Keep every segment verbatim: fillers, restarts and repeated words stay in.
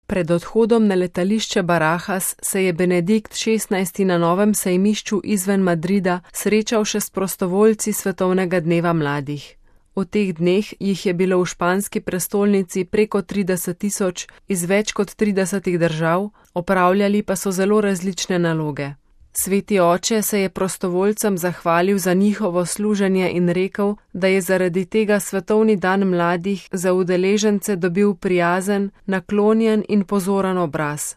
Pred odhodom na letališče Barajas se je Benedikt šestnajsti na novem sejmišču izven Madrida srečal še s prostovoljci Svetovnega dneva mladih. V teh dneh jih je bilo v španski prestolnici preko trideset tisoč iz več kot tridesetih držav, opravljali pa so zelo različne naloge. Sveti oče se je prostovoljcem zahvalil za njihovo služenje in rekel, da je zaradi tega Svetovni dan mladih za udeležence dobil prijazen, naklonjen in pozoren obraz.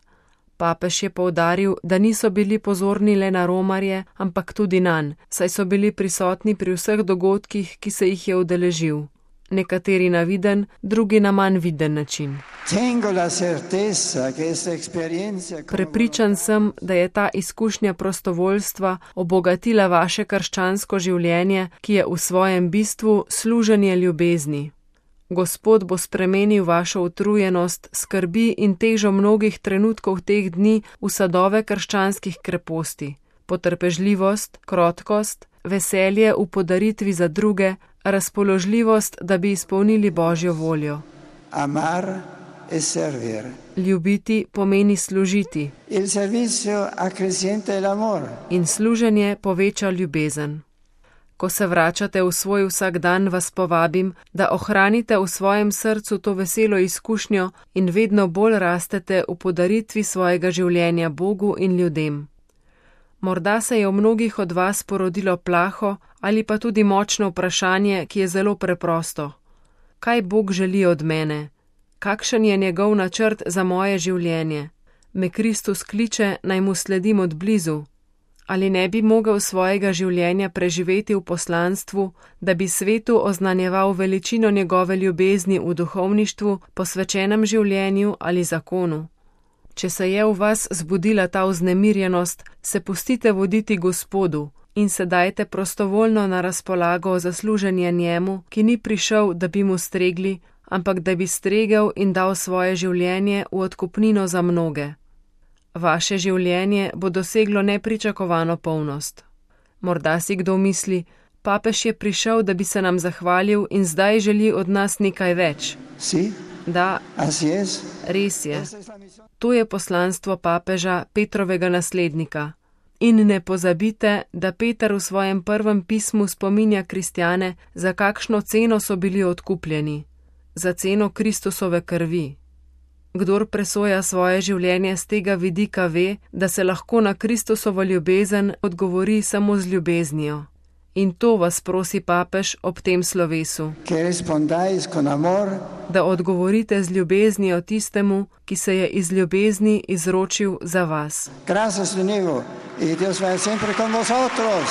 Papež je poudaril, da niso bili pozorni le na romarje, ampak tudi nanj, saj so bili prisotni pri vseh dogodkih, ki se jih je udeležil. Nekateri na viden, drugi na manj viden način. Prepričan sem, da je ta izkušnja prostovoljstva obogatila vaše krščansko življenje, ki je v svojem bistvu služenje ljubezni. Gospod bo spremenil vašo utrujenost, skrbi in težo mnogih trenutkov teh dni v sadove krščanskih kreposti, potrpežljivost, krotkost, veselje v podaritvi za druge, razpoložljivost, da bi izpolnili Božjo voljo. Amar e servir. Ljubiti pomeni služiti. Il servizio accrescienta l'amor. In služenje poveča ljubezen. Ko se vračate v svoj vsakdan, vas povabim, da ohranite v svojem srcu to veselo izkušnjo in vedno bolj rastete v podaritvi svojega življenja Bogu in ljudem. Morda se je v mnogih od vas porodilo plaho ali pa tudi močno vprašanje, ki je zelo preprosto. Kaj Bog želi od mene? Kakšen je njegov načrt za moje življenje? Me Kristus kliče, naj mu sledim od blizu? Ali ne bi mogel svojega življenja preživeti v poslanstvu, da bi svetu oznanjeval veličino njegove ljubezni v duhovništvu, posvečenem življenju ali zakonu? Če se je v vas zbudila ta vznemirjenost, se pustite voditi Gospodu in se dajte prostovoljno na razpolago za služenje njemu, ki ni prišel, da bi mu stregli, ampak da bi stregel in dal svoje življenje v odkupnino za mnoge. Vaše življenje bo doseglo nepričakovano polnost. Morda si kdo misli, papež je prišel, da bi se nam zahvalil in zdaj želi od nas nekaj več. Si? Da, res je. To je poslanstvo papeža, Petrovega naslednika. In ne pozabite, da Peter v svojem prvem pismu spominja kristjane, za kakšno ceno so bili odkupljeni. Za ceno Kristusove krvi. Kdor presoja svoje življenje z tega vidika ve, da se lahko na Kristusovo ljubezen odgovori samo z ljubeznijo. In to vas prosi papež ob tem slovesu. Da odgovorite z ljubeznijo tistemu, ki se je iz ljubezni izročil za vas. Gracias, Dios va sempre con vosotros.